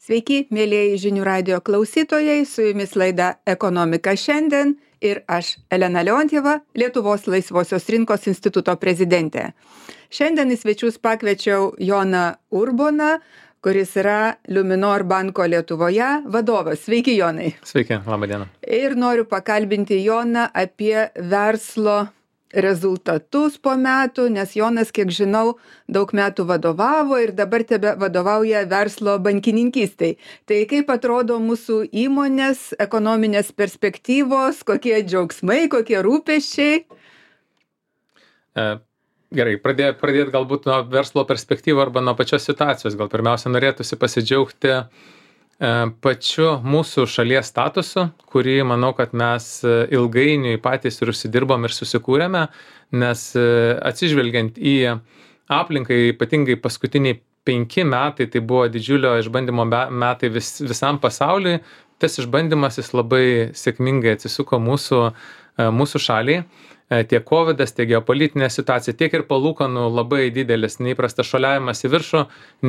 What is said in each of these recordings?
Sveiki, mėlyjeji žinių radio klausytojai, su jumis laida Ekonomika šiandien ir aš, Elena Leontjeva, Lietuvos laisvosios rinkos instituto prezidentė. Šiandien į svečius pakviečiau Joną Urboną, kuris yra Luminor banko Lietuvoje vadovas. Sveiki, Jonai. Sveiki, laba diena. Ir noriu pakalbinti Joną apie verslo rezultatus po metų, nes Jonas, kiek žinau, daug metų vadovavo ir dabar tebe vadovauja verslo bankininkystai. Tai kaip atrodo mūsų įmonės ekonominės perspektyvos, kokie džiaugsmai, kokie rūpesčiai? Gerai, pradėt galbūt nuo verslo perspektyvų arba nuo pačios situacijos. Gal pirmiausia norėtųsi pasidžiaugti pačiu mūsų šalies statusu, kurį manau, kad mes ilgainiui patys ir užsidirbom ir susikūrėme, nes atsižvelgiant į aplinką, ypatingai paskutiniai 5 metai, tai buvo didžiulio išbandymo metai visam pasauliui. Tas išbandymas jis labai sėkmingai atsisuko mūsų šaliai. Tiek covidas, tiek geopolitinė situacija, tiek ir palūkanų labai didelis neįprastas šuoliavimas į viršų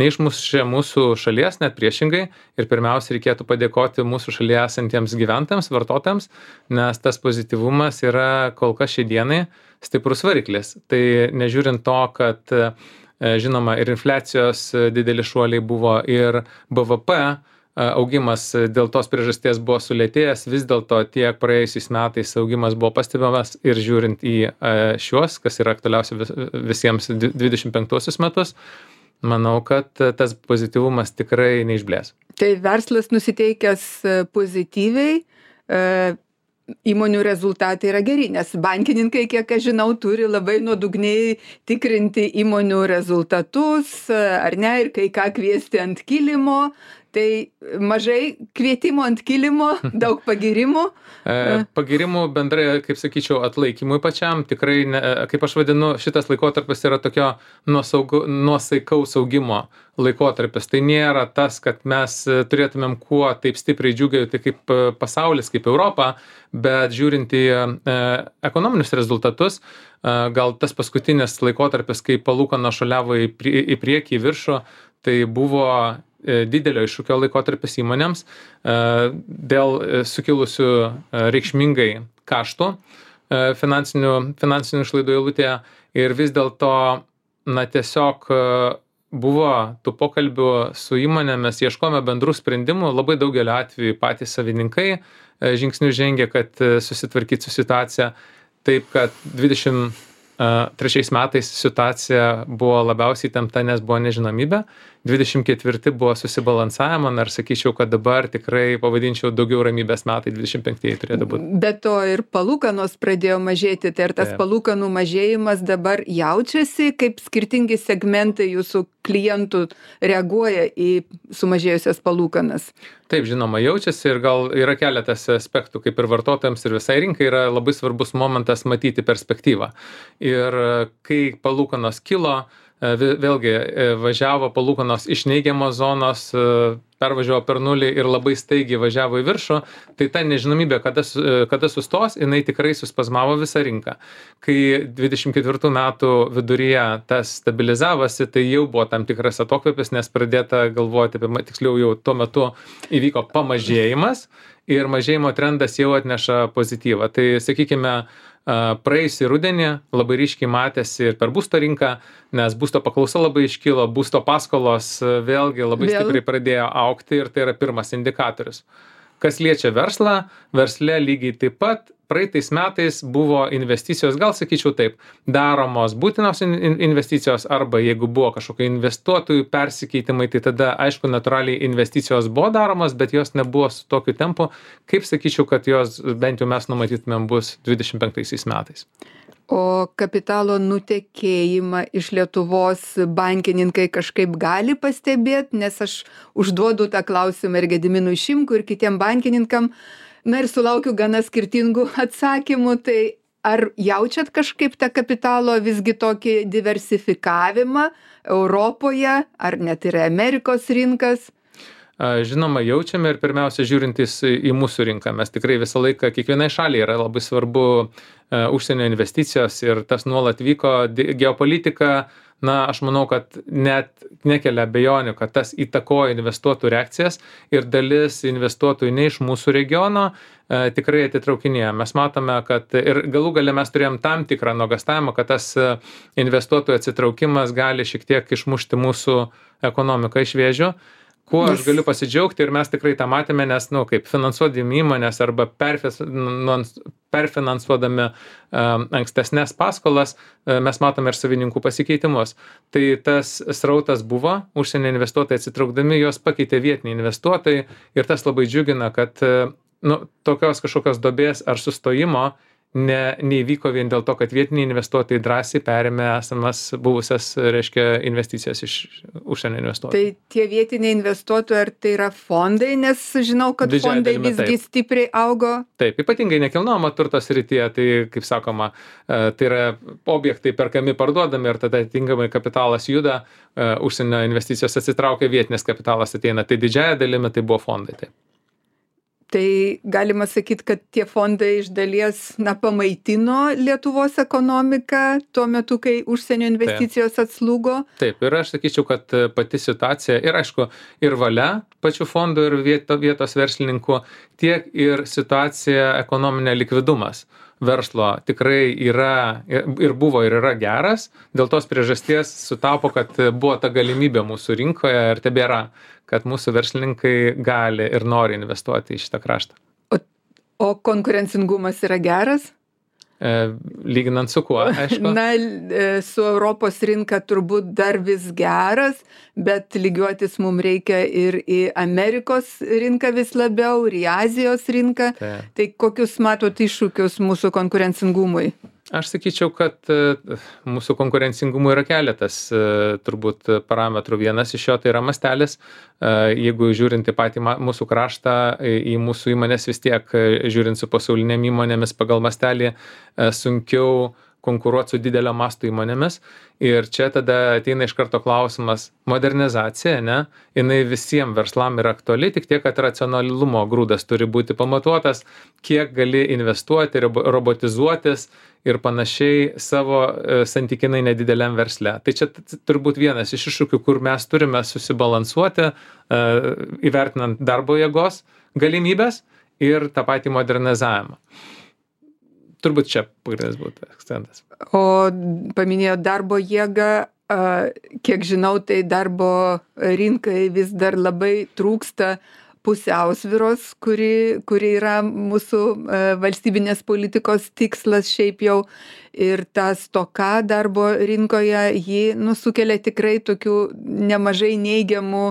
neišmušė mūsų šalies, net priešingai. Ir pirmiausia, reikėtų padėkoti mūsų šalyje esantiems gyventojams, vartotojams, nes tas pozityvumas yra kol kas šiai dienai stiprus variklis. Tai nežiūrint to, kad žinoma ir infliacijos dideli šuoliai buvo ir BVP augimas dėl tos priežasties buvo sulėtėjęs, vis dėlto tiek praėjusiais metais augimas buvo pastebimas ir žiūrint į šiuos, kas yra aktualiausia visiems 25 metus, manau, kad tas pozityvumas tikrai neišblės. Tai verslas nusiteikęs pozityviai, įmonių rezultatai yra geri, nes bankininkai, kiek aš žinau, turi labai nuodugniai tikrinti įmonių rezultatus, ar ne, ir kai ką kviesti ant kilimo. Tai mažai kvietimo ant kilimo, daug pagirimų. Pagirimų bendrai, kaip sakyčiau, atlaikymui pačiam. Tikrai, kaip aš vadinu, šitas laikotarpis yra tokio nuosaikaus augimo laikotarpis. Tai nėra tas, kad mes turėtumėm kuo taip stipriai džiūgauti kaip pasaulis, kaip Europa, bet žiūrint į ekonominius rezultatus, gal tas paskutinis laikotarpis, kai palūkanos šuoliavo į priekį, į viršų, tai buvo didelio iššūkio laikotarpis įmonėms dėl sukilusių reikšmingai kaštų finansinių išlaidų eilutėje ir vis dėlto tiesiog buvo tų pokalbių su įmonėmis, ieškome bendrų sprendimų, labai daugelio atveju patys savininkai žingsnių žengė, kad susitvarkyti su situacija, taip kad 23 metais situacija buvo labiausiai įtempta, nes buvo nežinomybė. 24 buvo susibalansavimo, ir sakyčiau, kad dabar tikrai pavadinčiau daugiau ramybės metai, 25 turėtų būti. Bet to ir palūkanos pradėjo mažėti, tai ir tas palūkanų mažėjimas dabar jaučiasi, kaip skirtingi segmentai jūsų klientų reaguoja į sumažėjusias palūkanas. Taip, žinoma, jaučiasi ir gal yra keletas aspektų, kaip ir vartotojams ir visai rinkai yra labai svarbus momentas matyti perspektyvą. Ir kai palūkanos kilo, vėlgi važiavo palūkanos iš neigiamos zonos, pervažiavo per nulį ir labai staigiai važiavo į viršų, tai ta nežinomybė, kada sustos, jinai tikrai suspazmavo visą rinką. Kai 24 metų viduryje tas stabilizavosi, tai jau buvo tam tikras atokvėpis, nes pradėta galvoti apie, tiksliau jau tuo metu įvyko pamažėjimas ir mažėjimo trendas jau atneša pozityvą. Tai sakykime, praėjusį rudenį labai ryškiai matėsi ir per būsto rinką, nes būsto paklausa labai iškilo, būsto paskolos vėlgi labai stipriai pradėjo augti ir tai yra pirmas indikatorius. Kas liečia verslą, versle lygiai taip pat praeitais metais buvo investicijos, gal sakyčiau taip, daromos būtinos investicijos arba jeigu buvo kažkokie investuotojų persikeitimai, tai tada aišku natūraliai investicijos buvo daromos, bet jos nebuvo su tokiu tempu, kaip sakyčiau, kad jos bent jau mes numatytumėm bus 25 metais. O kapitalo nutekėjimą iš Lietuvos bankininkai kažkaip gali pastebėti, nes aš užduodu tą klausimą ir Gediminui Šimkui ir kitiem bankininkam, ir sulaukiu gana skirtingų atsakymų, tai ar jaučiat kažkaip tą kapitalo visgi tokį diversifikavimą Europoje, ar net ir Amerikos rinkas? Žinoma, jaučiame ir pirmiausia žiūrintis į mūsų rinką. Mes tikrai visą laiką, kiekvienai šaliai yra labai svarbu užsienio investicijos ir tas nuolat vyko. Geopolitika na, aš manau, kad net nekelia abejonių, kad tas įtakoja investuotojų reakcijas ir dalis investuotojų ne iš mūsų regiono tikrai atitraukinėja. Mes matome, kad ir galų gale mes turėjom tam tikrą nuogąstavimą, kad tas investuotojų atsitraukimas gali šiek tiek išmušti mūsų ekonomiką iš vėžių. Kuo aš galiu pasidžiaugti ir mes tikrai tą matėme, nes, kaip finansuodami įmonės arba perfinansuodami ankstesnės paskolas, mes matome ir savininkų pasikeitimus. Tai tas srautas buvo, užsienio investuotojai atsitraukdami, jos pakeitė vietiniai investuotojai ir tas labai džiugina, kad tokios kažkokios duobės ar sustojimo neįvyko vien dėl to, kad vietiniai investuotojai drąsiai perėmė esamas buvusias, reiškia, investicijas iš užsienio investuotojų. Tai tie vietiniai investuotojai, ar tai yra fondai, nes žinau, kad fondai visgi stipriai augo? Taip, ypatingai nekilnojamo turto srityje, tai, kaip sakoma, tai yra objektai perkami, parduodami ir tada atitinkamai kapitalas juda, užsienio investicijos atsitraukia, vietinis kapitalas ateina. Tai didžiąja dalimi tai buvo fondai. Taip. Tai galima sakyti, kad tie fondai iš dalies pamaitino Lietuvos ekonomiką tuo metu, kai užsienio investicijos atslūgo. Taip, ir aš sakyčiau, kad pati situacija ir aišku, ir valia pačių fondų ir vietos verslininkų, tiek ir situacija ekonominė likvidumas verslo tikrai yra ir buvo ir yra geras. Dėl tos priežasties sutapo, kad buvo ta galimybė mūsų rinkoje ir tebėra, kad mūsų verslininkai gali ir nori investuoti į šitą kraštą. O konkurencingumas yra geras? Lyginant su kuo, aišku? Su Europos rinka turbūt dar vis geras, bet lygiuotis mums reikia ir į Amerikos rinką vis labiau, ir į Azijos rinką. Tai kokius matot iššūkius mūsų konkurencingumui? Aš sakyčiau, kad mūsų konkurencingumui yra keletas turbūt parametrų. Vienas iš jo tai yra mastelis. Jeigu žiūrint į patį mūsų kraštą, į mūsų įmonės vis tiek, žiūrint su pasaulinėm įmonėmis pagal mastelį, sunkiau konkuruoti su didelio masto įmonėmis. Ir čia tada ateina iš karto klausimas modernizacija, ne? Jinai visiems verslam yra aktuali, tik tiek, kad racionalumo grūdas turi būti pamatuotas, kiek gali investuoti, robotizuotis ir panašiai savo santykinai nedideliam versle. Tai čia turbūt vienas iš iššūkių, kur mes turime susibalansuoti, įvertinant darbo jėgos galimybės ir tą patį modernizavimą. Turbūt čia pagrindinis būtų akcentas. O paminėjo darbo jėgą, kiek žinau, tai darbo rinkai vis dar labai trūksta pusiausvyros, kuri yra mūsų valstybinės politikos tikslas šiaip jau. Ir ta stoka darbo rinkoje, ji sukelia tikrai tokių nemažai neigiamų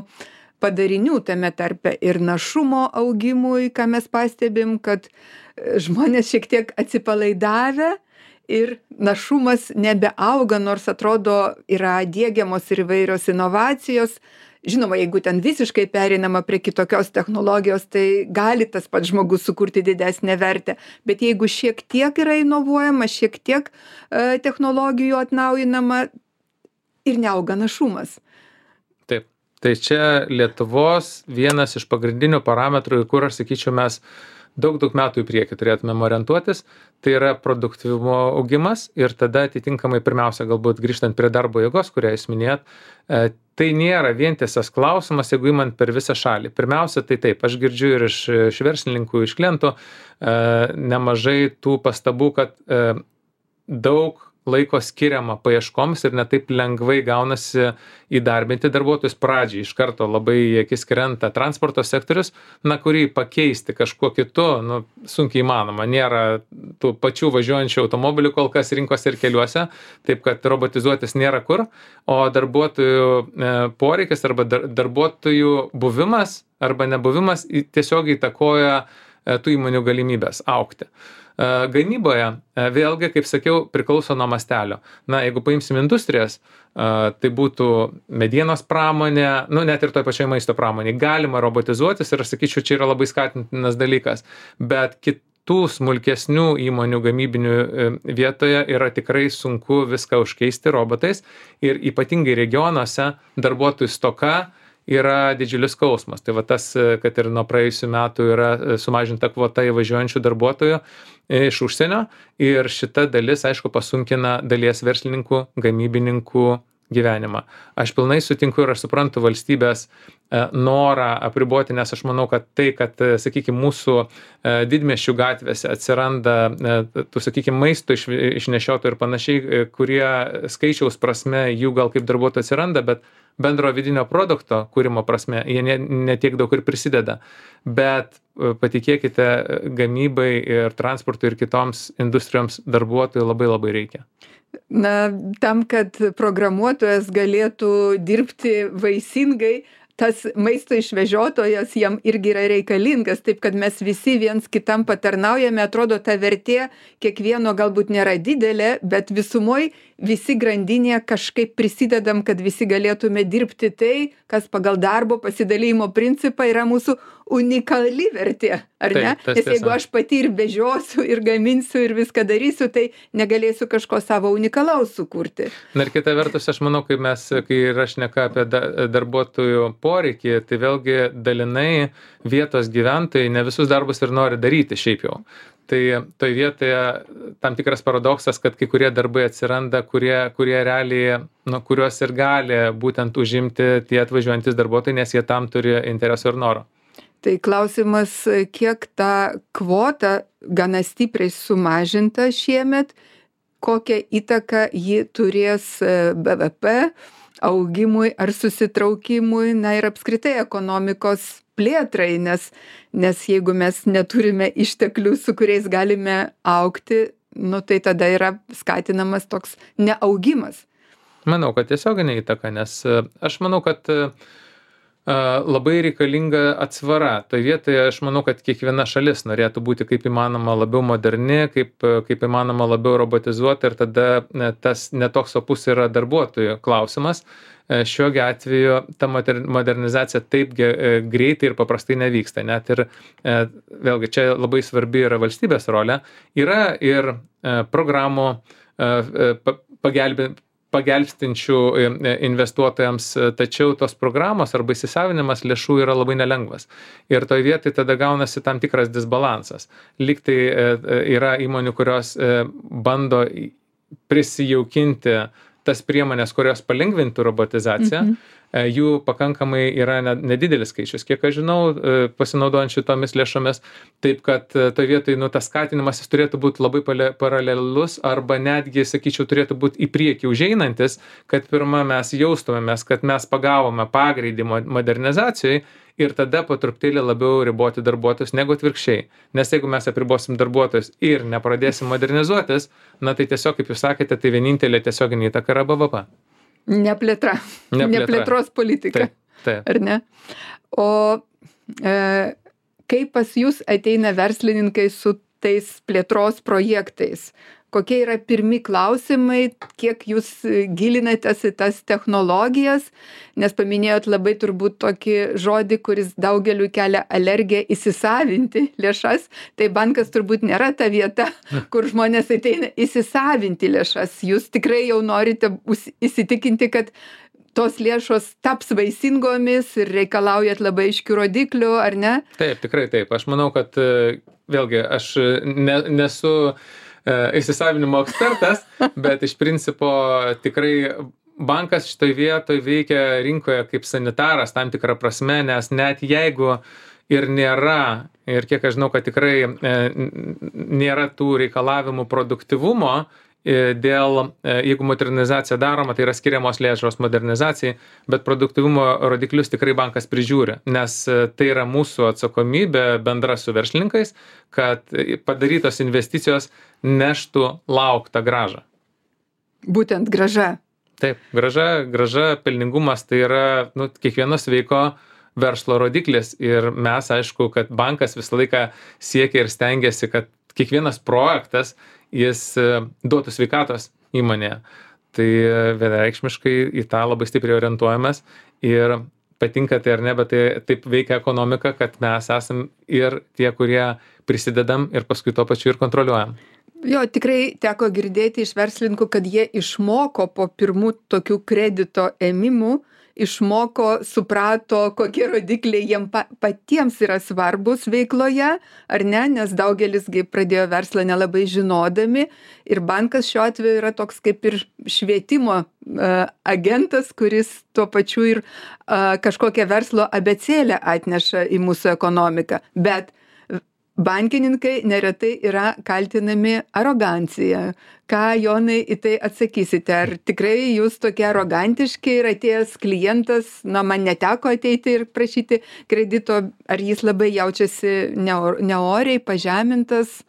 padarinių tame tarpe ir našumo augimui, ką mes pastebim, kad žmonės šiek tiek atsipalaidavę ir našumas nebeauga, nors atrodo yra diegiamos ir įvairios inovacijos. Žinoma, jeigu ten visiškai pereinama prie kitokios technologijos, tai gali tas pats žmogus sukurti didesnę vertę. Bet jeigu šiek tiek yra inovuojama, šiek tiek technologijų atnaujinama ir neauga našumas. Taip. Tai čia Lietuvos vienas iš pagrindinių parametrų, kur aš sakyčiau mes daug metų į priekį turėtumėm orientuotis, tai yra produktyvumo augimas ir tada atitinkamai pirmiausia, galbūt grįžtant prie darbo jėgos, kurią jūs minėjot, tai nėra vientisas klausimas, jeigu imant per visą šalį. Pirmiausia, tai taip, aš girdžiu ir iš verslininkų, iš klientų nemažai tų pastabų, kad daug laiko skiriama paieškoms ir netaip lengvai gaunasi įdarbinti darbuotojus pradžiai. Iš karto labai į akis krenta transporto sektorius, kurį pakeisti kažkuo kitu, sunkiai įmanoma. Nėra tų pačių važiuojančių automobilių kol kas rinkose ir keliuose, taip kad robotizuotis nėra kur, o darbuotojų poreikis arba darbuotojų buvimas arba nebuvimas tiesiog įtakoja tų įmonių galimybės augti. Gamyboje, vėlgi, kaip sakiau, priklauso nuo mastelio. Jeigu paimsim industrijas, tai būtų medienos pramonė, net ir toj pačioj maisto pramonė. Galima robotizuotis ir aš sakyčiau, čia yra labai skatintinas dalykas. Bet kitų smulkesnių įmonių gamybinių vietoje yra tikrai sunku viską užkeisti robotais ir ypatingai regionuose darbuotojų stoka yra didžiulis skausmas. Tai va tas, kad ir nuo praėjusių metų yra sumažinta kvota įvažiuojančių darbuotojų iš užsienio ir šita dalis, aišku, pasunkina dalies verslininkų, gamybininkų gyvenimą. Aš pilnai sutinku ir aš suprantu valstybės norą apriboti, nes aš manau, kad tai, kad, sakykime, mūsų didmiesčių gatvėse atsiranda tų, sakykime, maisto išnešiotojų ir panašiai, kurie skaičiaus prasme jų gal kaip darbuotojų atsiranda, bet bendro vidinio produkto kūrimo prasme jie ne tiek daug ir prisideda. Bet patikėkite, gamybai ir transportui ir kitoms industrijoms darbuotojų labai labai reikia. Na, tam, kad programuotojas galėtų dirbti vaisingai, tas maisto išvežiotojas jam irgi yra reikalingas, taip kad mes visi viens kitam patarnaujame, atrodo, ta vertė kiekvieno galbūt nėra didelė, bet visumoj visi grandinėje kažkaip prisidedam, kad visi galėtume dirbti tai, kas pagal darbo pasidalymo principą yra mūsų unikali vertė, ar ne? Nes jeigu aš pati ir vežiosiu, ir gaminsiu, ir viską darysiu, tai negalėsiu kažko savo unikalaus sukurti. Na ir kita vertus, aš manau, kai yra šneka apie darbuotojų poreikį, tai vėlgi dalinai vietos gyventojai ne visus darbus ir nori daryti šiaip jau. Tai toj vietoje tam tikras paradoksas, kad kai kurie darbai atsiranda, kurie realiai, kuriuos ir gali būtent užimti tie atvažiuojantis darbuotojai, nes jie tam turi interesų ir noro. Tai klausimas, kiek ta kvota gana stipriai sumažinta šiemet, kokią įtaką ji turės BVP augimui ar susitraukimui, na ir apskritai ekonomikos plėtrai, nes jeigu mes neturime išteklių, su kuriais galime augti, tai tada yra skatinamas toks neaugimas. Manau, kad tiesioginė įtaka, nes aš manau, kad labai reikalinga atsvara. Tai vietoje aš manau, kad kiekviena šalis norėtų būti kaip įmanoma labiau moderni, kaip įmanoma labiau robotizuota ir tada tas netoks opus yra darbuotojų klausimas. Šiuo atveju ta modernizacija taip greitai ir paprastai nevyksta. Net ir vėlgi čia labai svarbi yra valstybės rolė. Yra ir programų pagelbstinčių investuotojams, tačiau tos programos arba įsisavinimas lėšų yra labai nelengvas. Ir toj vietoj tada gaunasi tam tikras disbalansas. Lyg tai yra įmonių, kurios bando prisijaukinti tas priemonės, kurios palengvintų robotizaciją, jų pakankamai yra nedidelis skaičius, kiek aš žinau, pasinaudojant šitomis lėšomis. Taip, kad toj vietoj tas skatinimas jis turėtų būti labai paralelus arba netgi, sakyčiau, turėtų būti į priekį užeinantis, kad pirmą mes jaustumėmės, kad mes pagavome pagreitį modernizacijai ir tada po truputėlį labiau riboti darbuotojus negu atvirkščiai. Nes jeigu mes apribosim darbuotojus ir nepradėsim modernizuotis, tai tiesiog, kaip jūs sakėte, tai vienintelė tiesioginė įtaka yra BVP. Neplėtra. Neplėtros politika. Taip. Ar ne? O kaip pas jūs ateina verslininkai su tais plėtros projektais? Kokie yra pirmi klausimai, kiek jūs gilinatės į tas technologijas, nes paminėjot labai turbūt tokį žodį, kuris daugeliu kelia alergiją įsisavinti lėšas, tai bankas turbūt nėra ta vieta, kur žmonės ateina įsisavinti lėšas. Jūs tikrai jau norite įsitikinti, kad tos lėšos taps vaisingomis ir reikalaujat labai aiškių rodiklių, ar ne? Taip, tikrai taip. Aš manau, kad vėlgi aš nesu įsisavinimo ekspertas, bet iš principo tikrai bankas šitoj vietoj veikia rinkoje kaip sanitaras tam tikrą prasme, nes net jeigu ir nėra, ir kiek aš žinau, kad tikrai nėra tų reikalavimų produktyvumo, jeigu modernizacija daroma, tai yra skiriamos lėšos modernizacijai, bet produktyvumo rodiklius tikrai bankas prižiūri, nes tai yra mūsų atsakomybė bendra su verslininkais, kad padarytos investicijos neštų lauktą grąžą. Būtent grąža. Taip, grąža, pelningumas tai yra kiekvieno sveiko verslo rodiklis ir mes, aišku, kad bankas visą laiką siekia ir stengiasi, kad kiekvienas projektas jis duotų sveikatos įmonėje. Tai vienareikšmiškai į tą labai stipriai orientuojamės ir patinka tai ar ne, bet tai taip veikia ekonomika, kad mes esam ir tie, kurie prisidedam ir paskui to pačiu ir kontroliuojam. Jo, tikrai teko girdėti iš verslininkų, kad jie išmoko po pirmų tokių kredito ėmimų išmoko, suprato, kokie rodikliai jiem patiems yra svarbus veikloje, ar ne, nes daugelisgi pradėjo verslą nelabai žinodami ir bankas šiuo atveju yra toks kaip ir švietimo agentas, kuris tuo pačiu ir kažkokią verslo abėcėlę atneša į mūsų ekonomiką. Bet bankininkai neretai yra kaltinami arogancija. Ką, Jonai, į tai atsakysite? Ar tikrai jūs tokie arogantiški ir atėjęs klientas, man neteko ateiti ir prašyti kredito, ar jis labai jaučiasi neoriai, pažemintas?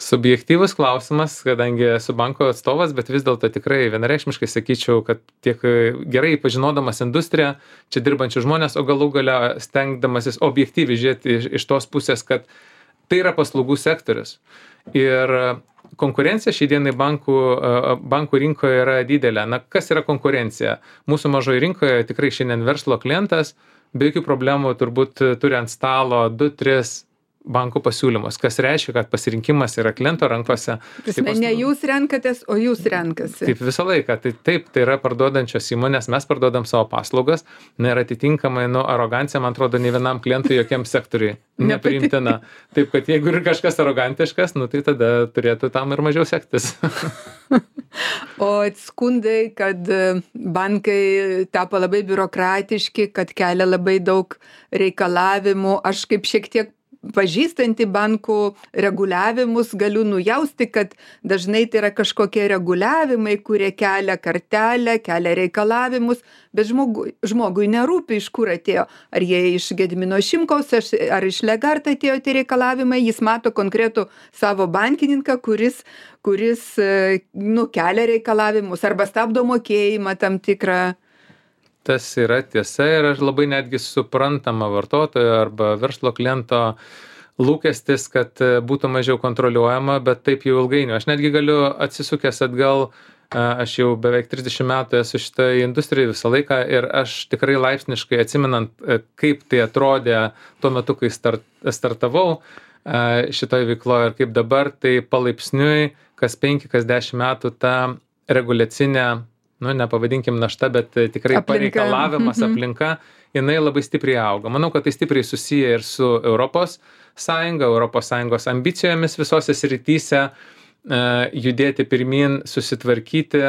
Subjektyvus klausimas, kadangi esu banko atstovas, bet vis dėlto tikrai vienareikšmiškai sakyčiau, kad tiek gerai pažinodamas industriją, čia dirbančių žmonės, o galų gale stengdamasis objektyviai žiūrėti iš tos pusės, kad tai yra paslaugų sektorius. Ir konkurencija šiai dienai bankų rinkoje yra didelė. Na, kas yra konkurencija? Mūsų mažoje rinkoje tikrai šiandien verslo klientas be jokių problemų turbūt turi ant stalo 2-3 bankų pasiūlymus, kas reiškia, kad pasirinkimas yra kliento rankose. Ne jūs renkatės, o jūs renkasi. Taip, visą laiką. Taip, tai yra parduodančios įmonės, mes parduodam savo paslaugas, ir atitinkamai, arogancija, man atrodo, nei vienam klientui, jokiam sektoriui nepriimtina. Taip, kad jeigu ir kažkas arogantiškas, tai tada turėtų tam ir mažiau sektis. O skundai, kad bankai tapo labai biurokratiški, kad kelia labai daug reikalavimų, aš kaip šiek tiek pažįstanti bankų reguliavimus galiu nujausti, kad dažnai tai yra kažkokie reguliavimai, kurie kelia kartelę, kelia reikalavimus, bet žmogui nerūpi, iš kur atėjo. Ar jie iš Gedimino Šimkaus, ar iš Legart atėjo tie reikalavimai, jis mato konkretų savo bankininką, kuris kelia reikalavimus arba stabdo mokėjimą tam tikrą. Tas yra tiesa ir aš labai netgi suprantama vartotojo arba verslo kliento lūkestis, kad būtų mažiau kontroliuojama, bet taip jau ilgainiui. Aš netgi galiu atsisukęs atgal, aš jau beveik 30 metų esu šitoje industrijoje visą laiką ir aš tikrai laipsniškai atsimenant, kaip tai atrodė tuo metu, kai startavau šitoje veikloje ir kaip dabar, tai palaipsniui, kas 5, kas 10 metų ta reguliacinė, nepavadinkim našta, bet tikrai pareikalavimas aplinka, jinai labai stipriai auga. Manau, kad tai stipriai susiję ir su Europos Sąjungos ambicijomis visose srityse, judėti pirmin, susitvarkyti.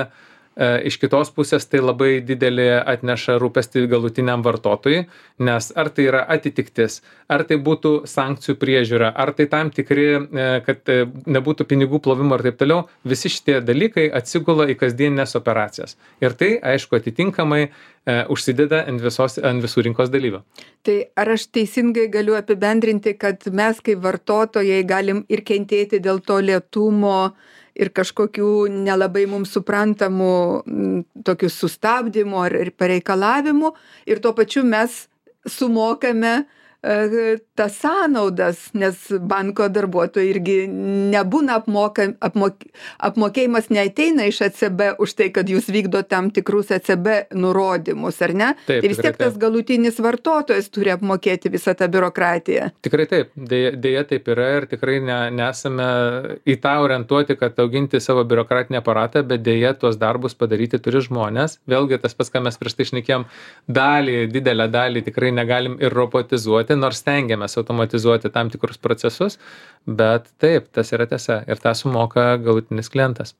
Iš kitos pusės tai labai didelį atneša rūpestį galutiniam vartotojui, nes ar tai yra atitiktis, ar tai būtų sankcijų priežiūra, ar tai tam tikri, kad nebūtų pinigų plovimo ir taip toliau, visi šitie dalykai atsigula į kasdieninės operacijas. Ir tai, aišku, atitinkamai užsideda ant visų rinkos dalyvių. Tai ar aš teisingai galiu apibendrinti, kad mes kaip vartotojai galim ir kentėti dėl to lėtumo ir kažkokių nelabai mums suprantamų tokių sustabdymų ar pareikalavimų ir tuo pačiu mes sumokame tas sąnaudas, nes banko darbuotojai irgi nebūna apmokėjimas neateina iš ECB už tai, kad jūs vykdo tam tikrus ECB nurodymus, ar ne? Taip, ir vis tiek tas galutinis vartotojas turi apmokėti visą tą biurokratiją. Tikrai taip, dėja taip yra ir tikrai nesame į tą orientuoti, kad auginti savo biurokratinį aparatą, bet dėja tuos darbus padaryti turi žmonės. Vėlgi tas pats, ką mes prieš tai šnekėjom, didelę dalį tikrai negalim ir robotizuoti, nors stengiamės automatizuoti tam tikrus procesus, bet taip, tas yra tiesa ir tą sumoka galutinis klientas.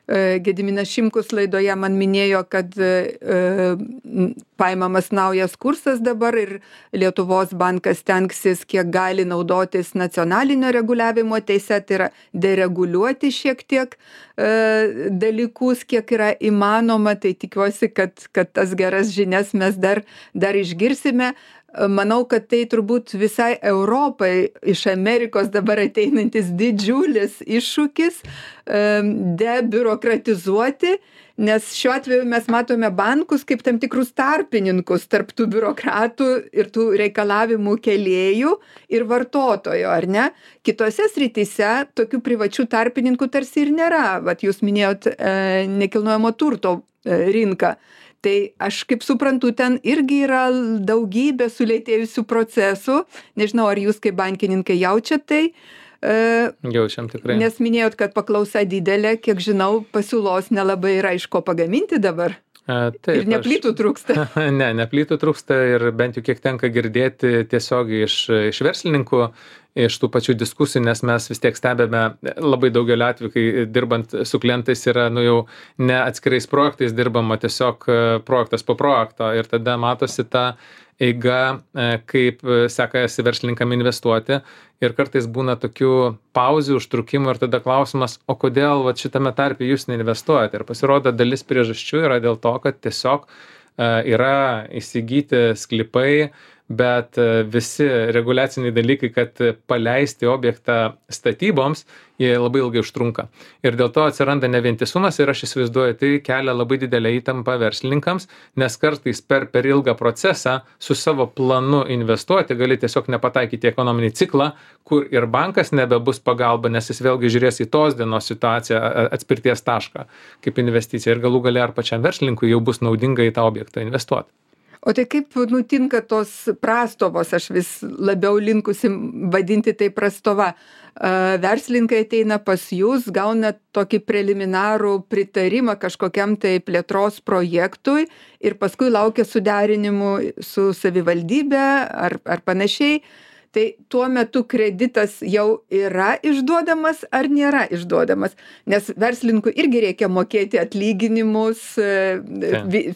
Gediminas Šimkus laidoje man minėjo, kad paimamas naujas kursas dabar ir Lietuvos bankas stengsis, kiek gali naudotis nacionalinio reguliavimo teise, tai yra dereguliuoti šiek tiek dalykus, kiek yra įmanoma, tai tikiuosi, kad tas geras žinias mes dar išgirsime. Manau, kad tai turbūt visai Europai iš Amerikos dabar ateinantis didžiulis iššūkis debiurokratizuoti, nes šiuo atveju mes matome bankus kaip tam tikrus tarpininkus tarp tų biurokratų ir tų reikalavimų kėlėjų ir vartotojo, ar ne? Kitose srityse tokių privačių tarpininkų tarsi ir nėra. Vat jūs minėjot nekilnojamo turto rinką. Tai aš kaip suprantu, ten irgi yra daugybė sulėtėjusių procesų. Nežinau, ar jūs kaip bankininkai jaučiat tai? Jaučiam tikrai. Nes minėjot, kad paklausa didelė, kiek žinau, pasiūlos nelabai yra iš ko pagaminti dabar. Taip, Ir ne plytų trūksta. Ne plytų trūksta ir bent jau kiek tenka girdėti tiesiogiai iš verslininkų, iš tų pačių diskusijų, nes mes vis tiek stebime labai daugelį atvejų, kai dirbant su klientais yra jau ne atskirais projektais dirbama, tiesiog projektas po projekto ir tada matosi ta eiga, kaip sekasi verslininkam investuoti ir kartais būna tokių pauzių, užtrukimų ir tada klausimas, o kodėl vat šitame tarpe jūs neinvestuojate? Ir pasirodo, dalis priežasčių yra dėl to, kad tiesiog yra įsigyti sklypai, bet visi reguliaciniai dalykai, kad paleisti objektą statyboms, jie labai ilgai užtrunka. Ir dėl to atsiranda nevientisumas ir aš įsivaizduoju, tai kelia labai didelę įtampą verslininkams, nes kartais per ilgą procesą su savo planu investuoti gali tiesiog nepataikyti ekonominį ciklą, kur ir bankas nebebus pagalba, nes jis vėlgi žiūrės į tos dienos situaciją, atspirties tašką kaip investicija ir galų gale ar pačiam verslininkui jau bus naudinga į tą objektą investuoti. O tai kaip nutinka tos prastovos, aš vis labiau linkusi vadinti tai prastova. Verslininkai ateina pas jūs, gauna tokį preliminarų pritarimą kažkokiam tai plėtros projektui ir paskui laukia suderinimų su savivaldybe ar panašiai. Tai tuo metu kreditas jau yra išduodamas ar nėra išduodamas, nes verslininkui irgi reikia mokėti atlyginimus,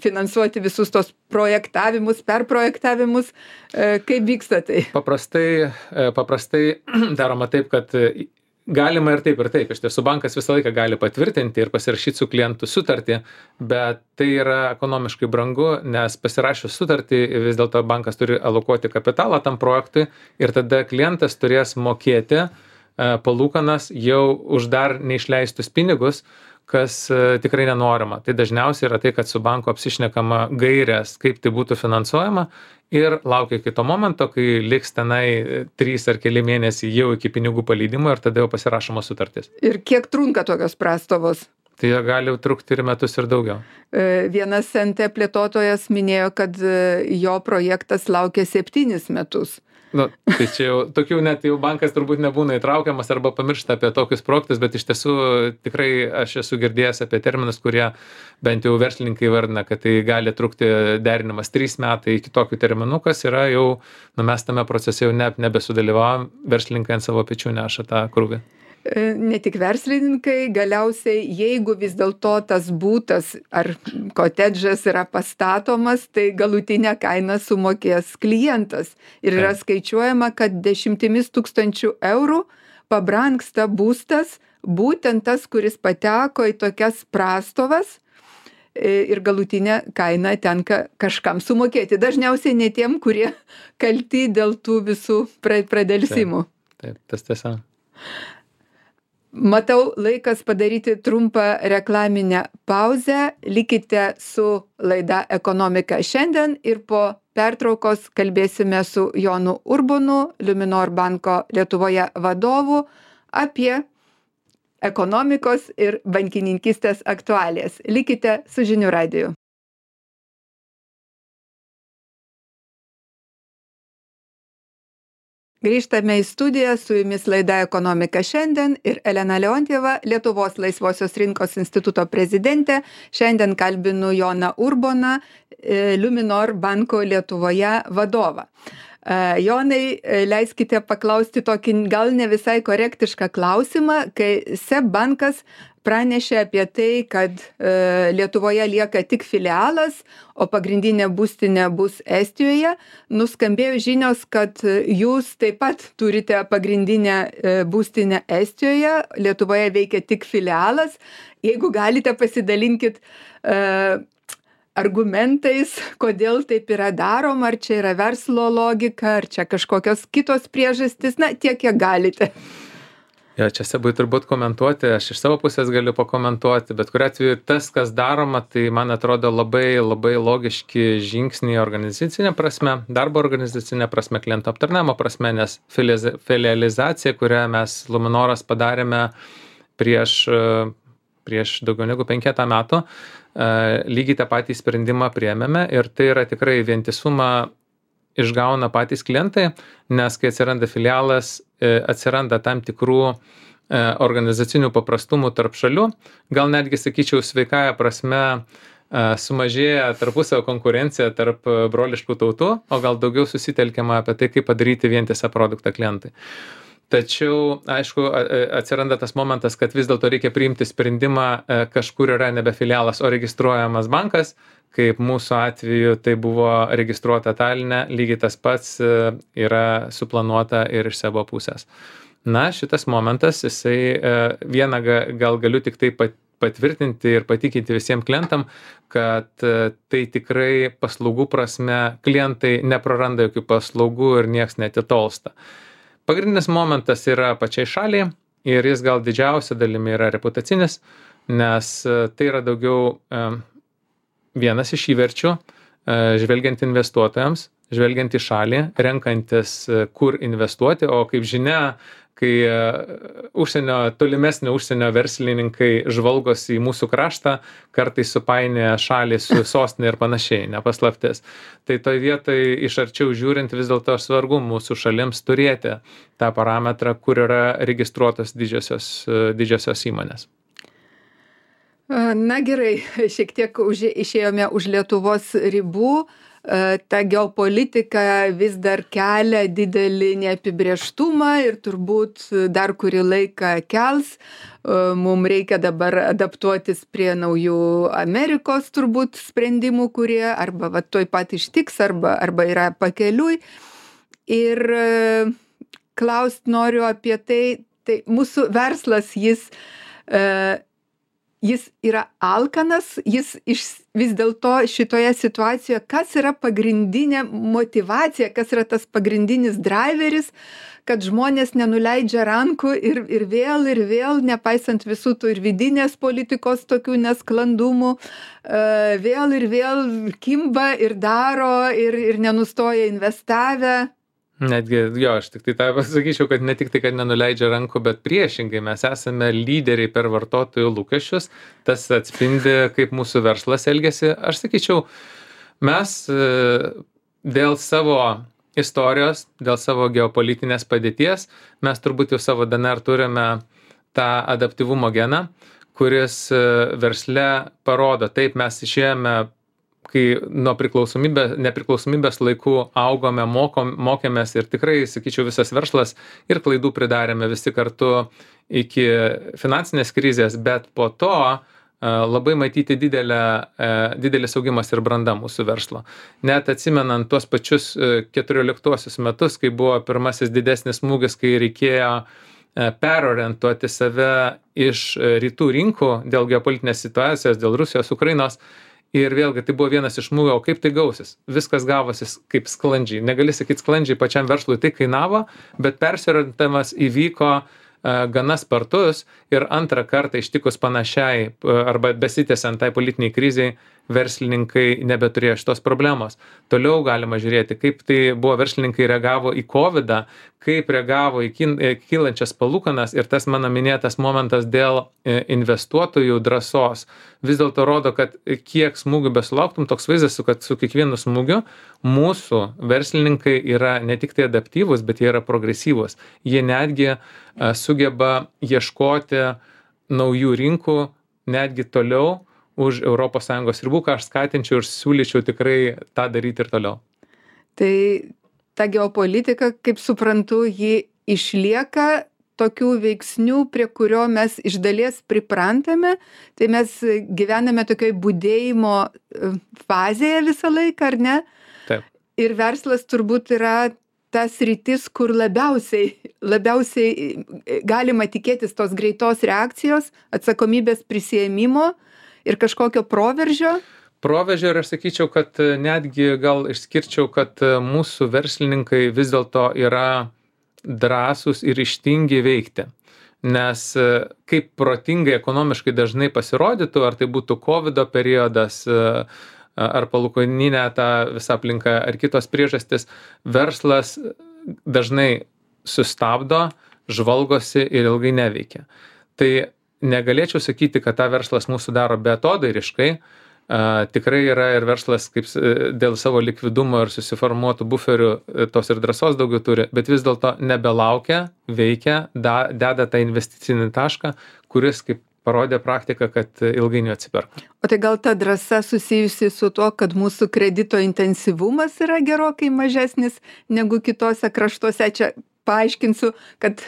finansuoti visus tos projektavimus, perprojektavimus. Kaip vyksta tai? Paprastai daroma taip, kad galima ir taip. Iš tiesų bankas visą laiką gali patvirtinti ir pasirašyti su klientu sutartį, bet tai yra ekonomiškai brangu, nes pasirašius sutartį vis dėlto bankas turi alokuoti kapitalą tam projektui ir tada klientas turės mokėti palūkanas jau už dar neišleistus pinigus, kas tikrai nenorima. Tai dažniausiai yra tai, kad su banku apsišnekama gairės, kaip tai būtų finansuojama ir laukia kito momento, kai liks tenai 3 ar keli mėnesiai jau iki pinigų paleidimo ir tada jau pasirašoma sutartis. Ir kiek trunka tokios prastovos? Tai gali trukti ir metus ir daugiau. Vienas NT plėtotojas minėjo, kad jo projektas laukia 7 metus. Tai čia jau, tokių net jau bankas turbūt nebūna įtraukiamas arba pamiršta apie tokius projektus, bet iš tiesų tikrai aš esu girdėjęs apie terminus, kurie bent jau verslininkai vardina, kad tai gali trukti derinimas 3 metai iki tokių terminų, kas yra jau, mes tame procese jau nebesudalyvavom, verslininkai ant savo pečių neša tą krūvį. Ne tik verslininkai, galiausiai, jeigu vis dėlto tas būtas ar kotedžas yra pastatomas, tai galutinę kainą sumokės klientas. Ir yra skaičiuojama, kad 10 000 eurų pabrangsta būstas, būtent tas, kuris pateko į tokias prastovas ir galutinę kainą tenka kažkam sumokėti. Dažniausiai ne tiem, kurie kalti dėl tų visų pradelsimų. Taip, tas tiesa. Matau, laikas padaryti trumpą reklaminę pauzę. Likite su laida Ekonomika šiandien ir po pertraukos kalbėsime su Jonu Urbonu, Luminor banko Lietuvoje vadovu, apie ekonomikos ir bankininkystės aktualijas. Likite su Žinių radiju. Grįžtame į studiją, su jumis laida Ekonomika šiandien ir Elena Leontjeva, Lietuvos laisvosios rinkos instituto prezidentė. Šiandien kalbinu Joną Urboną, Luminor banko Lietuvoje vadovą. Jonai, leiskite paklausti tokį gal ne visai korektišką klausimą, kai SEB bankas pranešė apie tai, kad Lietuvoje lieka tik filialas, o pagrindinė būstinė bus Estijoje. Nuskambėjo žinios, kad jūs taip pat turite pagrindinę būstinę Estijoje, Lietuvoje veikia tik filialas. Jeigu galite, pasidalinkit argumentais, kodėl taip yra daroma, ar čia yra verslo logika, ar čia kažkokios kitos priežastys, tiek, kiek galite. Čia SEBui turbūt komentuoti, aš iš savo pusės galiu pakomentuoti, bet kuriuo atveju tas, kas daroma, tai man atrodo labai logiški žingsniai organizacinė prasme, darbo organizacinė prasme, klientų aptarnavimo prasme, nes filializacija, kurią mes Luminoras padarėme prieš daugiau negu 5 metų, lygiai tą patį sprendimą priėmėme ir tai yra tikrai vientisumą išgauna patys klientai, nes kai atsiranda filialas, atsiranda tam tikrų organizacinių paprastumų tarp šalių, gal netgi, sakyčiau, sveikąja prasme sumažėja tarpusavio konkurencija tarp broliškų tautų, o gal daugiau susitelkiama apie tai, kaip padaryti vientisą produktą klientui. Tačiau, aišku, atsiranda tas momentas, kad vis dėlto reikia priimti sprendimą, kažkur yra nebe filialas, o registruojamas bankas, kaip mūsų atveju tai buvo registruota Taline, lygiai tas pats yra suplanuota ir iš SEBO pusės. Na, šitas momentas, jisai vieną gal galiu tik tai patvirtinti ir patikinti visiems klientam, kad tai tikrai paslaugų prasme klientai nepraranda jokių paslaugų ir nieks netitolsta. Pagrindinis momentas yra pačiai šaliai ir jis gal didžiausia dalimi yra reputacinis, nes tai yra daugiau vienas iš įverčių, žvelgiant investuotojams, žvelgiant į šalį, renkantis, kur investuoti, o kaip žinia, kai tolimesnio užsienio verslininkai žvalgosi į mūsų kraštą, kartais supainioja šalį su sostinė ir panašiai, nepaslaptis. Tai toj vietoj iš arčiau žiūrint vis dėlto svarbu mūsų šalims turėti tą parametrą, kur yra registruotos didžiosios įmonės. Na gerai, šiek tiek išėjome už Lietuvos ribų. Ta geopolitika vis dar kelia didelį neapibrėžtumą ir turbūt dar kurį laiką kels. Mums reikia dabar adaptuotis prie naujų Amerikos turbūt sprendimų, kurie arba tuoj pat ištiks, arba yra pakeliui. Ir klaust noriu apie tai mūsų verslas, jis yra alkanas, vis dėlto šitoje situacijoje, kas yra pagrindinė motyvacija, kas yra tas pagrindinis driveris, kad žmonės nenuleidžia rankų ir vėl, nepaisant visų tų ir vidinės politikos tokių nesklandumų, vėl kimba ir daro ir nenustoja investavę. Netgi, aš tik tai tą pasakyčiau, kad ne tik tai, kad nenuleidžia rankų, bet priešingai mes esame lyderiai per vartotojų lūkesčius, tas atspindi, kaip mūsų verslas elgiasi. Aš sakyčiau, mes dėl savo istorijos, dėl savo geopolitinės padėties, mes turbūt jau savo DNR turime tą adaptyvumo geną, kuris versle parodo, taip mes išėjome, kai nuo nepriklausomybės laikų augome, mokėmės ir tikrai, sakyčiau, visas verslas ir klaidų pridarėme visi kartu iki finansinės krizės, bet po to labai matyti didelis augimas ir branda mūsų verslo. Net atsimenant tuos pačius 14 metus, kai buvo pirmasis didesnis smūgis, kai reikėjo perorientuoti save iš rytų rinkų dėl geopolitinės situacijos, dėl Rusijos, Ukrainos. Ir vėlgi, tai buvo vienas iš smūgių, o kaip tai gausis? Viskas gavosi kaip sklandžiai. Negali sakyti sklandžiai, pačiam verslui tai kainavo, bet persiorientavimas įvyko gana spartus ir antrą kartą ištikus panašiai arba besitęsiant tai politiniai kriziai, verslininkai nebeturėjo šitos problemos. Toliau galima žiūrėti, kaip tai buvo verslininkai reagavo į COVID, kaip reagavo į kylančias palūkanas ir tas mano minėtas momentas dėl investuotojų drąsos. Vis dėlto rodo, kad kiek smūgių besulauktum, toks vaizdas, kad su kiekvienu smūgiu mūsų verslininkai yra ne tik tai adaptyvūs, bet jie yra progresyvūs. Jie netgi sugeba ieškoti naujų rinkų, netgi toliau už ES ribų, ką aš skatinčiau ir siūlyčiau tikrai tą daryti ir toliau. Tai ta geopolitika, kaip suprantu, ji išlieka tokių veiksnių, prie kurio mes iš dalies priprantame, tai mes gyvename tokioj budėjimo fazėje visą laiką, ar ne? Taip. Ir verslas turbūt yra ta sritis, kur labiausiai galima tikėtis tos greitos reakcijos, atsakomybės prisiėmimo ir kažkokio proveržio. Proveržio ir aš sakyčiau, kad netgi gal išskirčiau, kad mūsų verslininkai vis dėlto yra drąsūs ir ryžtingi veikti. Nes kaip protingai ekonomiškai dažnai pasirodytų, ar tai būtų COVID periodas, ar palūkaninė ta visa aplinka, ar kitos priežastis, verslas dažnai sustabdo, žvalgosi ir ilgai neveikia. Tai negalėčiau sakyti, kad tą verslas mūsų daro beatodairiškai. Tikrai yra ir verslas kaip dėl savo likvidumo ir susiformuotų buferių tos ir drąsos daugiau turi, bet vis dėlto nebelaukia, veikia, deda tą investicinį tašką, kuris, kaip parodė praktika, kad ilgainiui atsiperka. O tai gal ta drąsa susijusi su tuo, kad mūsų kredito intensyvumas yra gerokai mažesnis negu kitose kraštuose? Čia paaiškinsiu, kad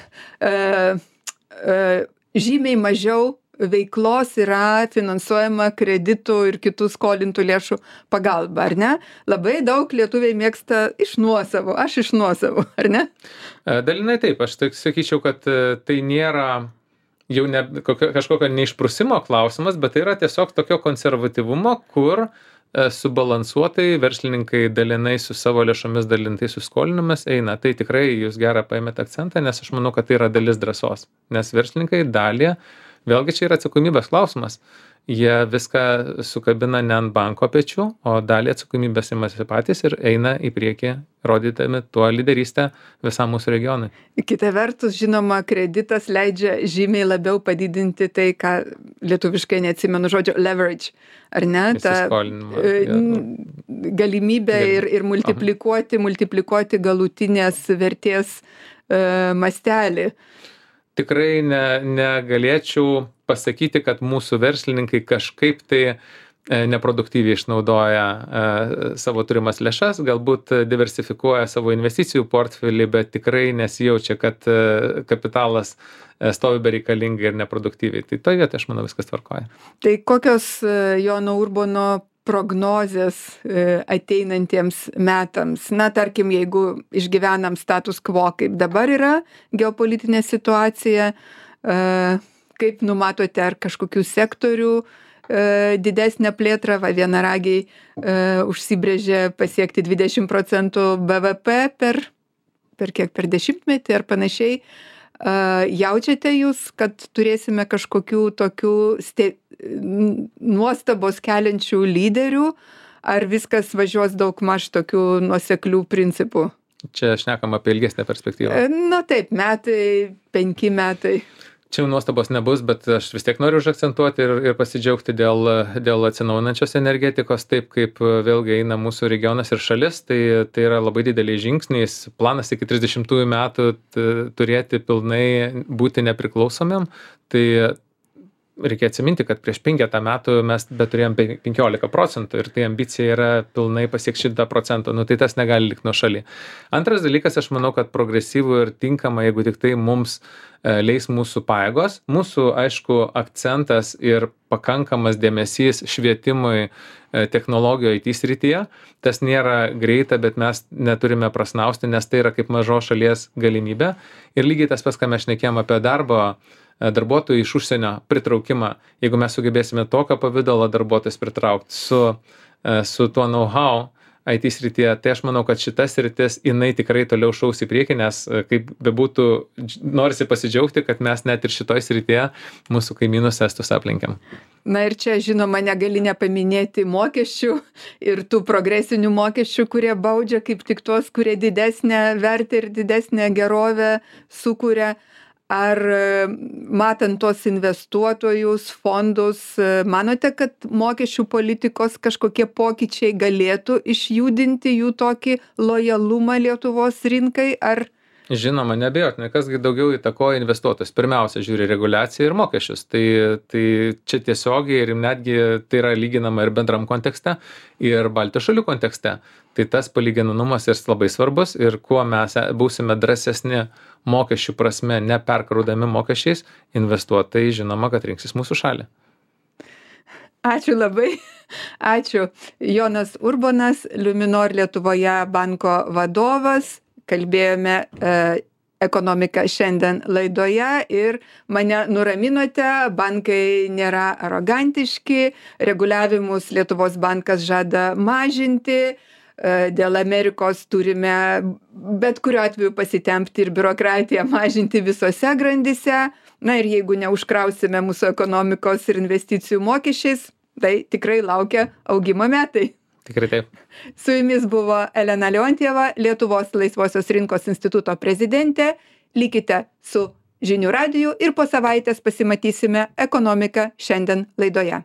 žymiai mažiau veiklos yra finansuojama kreditų ir kitų skolintų lėšų pagalba, ar ne? Labai daug lietuviai mėgsta iš nuosavų, aš iš nuosavų, ar ne? Dalinai taip, aš tai sakyčiau, kad tai nėra jau ne kažkokio neišprusimo klausimas, bet tai yra tiesiog tokio konservatyvumo, kur subalansuotai verslininkai dalinai su savo lėšomis, dalintai su skolinimis eina. Tai tikrai jūs gerą paėmėte akcentą, nes aš manau, kad tai yra dalis drąsos. Nes verslininkai dalį, vėlgi čia yra atsakomybės klausimas. Jie viską sukabina ne ant banko pečių, o dalį atsakomybės imasi patys ir eina į priekį, rodydami tuo lyderystę visam mūsų regionui. Kita vertus, žinoma, kreditas leidžia žymiai labiau padidinti tai, ką lietuviškai neatsimenu žodžio leverage, ar ne? Galimybę ir multiplikuoti galutinės vertės mastelį. Tikrai negalėčiau pasakyti, kad mūsų verslininkai kažkaip tai neproduktyviai išnaudoja savo turimas lėšas, galbūt diversifikuoja savo investicijų portfelį, bet tikrai nesijaučia, kad kapitalas stovi bereikalingai ir neproduktyviai. Tai toje vietoje, aš manau, viskas tvarkoja. Tai kokios Jono Urbono prognozės ateinantiems metams? Na, tarkim, jeigu išgyvenam status quo, kaip dabar yra geopolitinė situacija, kaip numatote, ar kažkokių sektorių didesnę plėtrą, vienaragiai užsibrėžė pasiekti 20% BVP per kiek, per dešimtmetį ar panašiai. Jaučiate jūs, kad turėsime kažkokių tokių nuostabos keliančių lyderių, ar viskas važiuos daugmaž tokių nuoseklių principų? Čia šnekam apie ilgesnę perspektyvą. Na taip, metai, 5 metai. Čia jau nuostabos nebus, bet aš vis tiek noriu užakcentuoti ir pasidžiaugti dėl atsinaujinančios energetikos, taip kaip vėlgi eina mūsų regionas ir šalis, tai yra labai dideliais žingsniais. Planas iki 30 metų turėti pilnai būti nepriklausomiem, tai reikia atsiminti, kad prieš 5 metų mes beturėjom 15% ir tai ambicija yra pilnai pasiekti 100%, tai tas negali likti nuošaly. Antras dalykas, aš manau, kad progresyvų ir tinkama, jeigu tik tai mums leis mūsų pajėgos. Mūsų, aišku, akcentas ir pakankamas dėmesys švietimui technologijų IT srityje. Tas nėra greita, bet mes neturime prasnausti, nes tai yra kaip mažos šalies galimybė. Ir lygiai tas pats, ką mes šnekėjom apie darbuotojų iš užsienio pritraukimą, jeigu mes sugebėsime tokio pavidalo darbuotojus pritraukti su tuo know-how IT srityje, tai aš manau, kad šita sritis, jinai tikrai toliau šaus į priekį, nes kaip bebūtų, norisi pasidžiaugti, kad mes net ir šitoj srityje mūsų kaimynus estus aplenkiam. Na ir čia, žinoma, negali nepaminėti mokesčių ir tų progresinių mokesčių, kurie baudžia kaip tik tuos, kurie didesnę vertę ir didesnę gerovę sukuria. Ar matant tos investuotojus, fondus, manote, kad mokesčių politikos kažkokie pokyčiai galėtų išjudinti jų tokį lojalumą Lietuvos rinkai? Ar... Žinoma, neabejotinai, kasgi daugiau įtakoja investuotojus. Pirmiausia, žiūri reguliaciją ir mokesčius. Tai čia tiesiogiai ir netgi tai yra lyginama ir bendram kontekste, ir Baltijos šalių kontekste. Tai tas palyginamumas ir labai svarbus ir kuo mes būsime drąsesni mokesčių prasme, neperkraudami mokesčiais, investuotojai žinoma, kad rinksis mūsų šalį. Ačiū labai. Ačiū. Jonas Urbonas, Luminor Lietuvoje banko vadovas. Kalbėjome ekonomiką šiandien laidoje ir mane nuraminote, bankai nėra arogantiški, reguliavimus Lietuvos bankas žada mažinti, dėl Amerikos turime bet kuriuo atveju pasitempti ir biurokratiją mažinti visose grandyse. Na ir jeigu neužkrausime mūsų ekonomikos ir investicijų mokesčiais, tai tikrai laukia augimo metai. Tikrai taip. Su jumis buvo Elena Leontjeva, Lietuvos laisvosios rinkos instituto prezidentė. Likite su Žinių radiju ir po savaitės pasimatysime ekonomiką šiandien laidoje.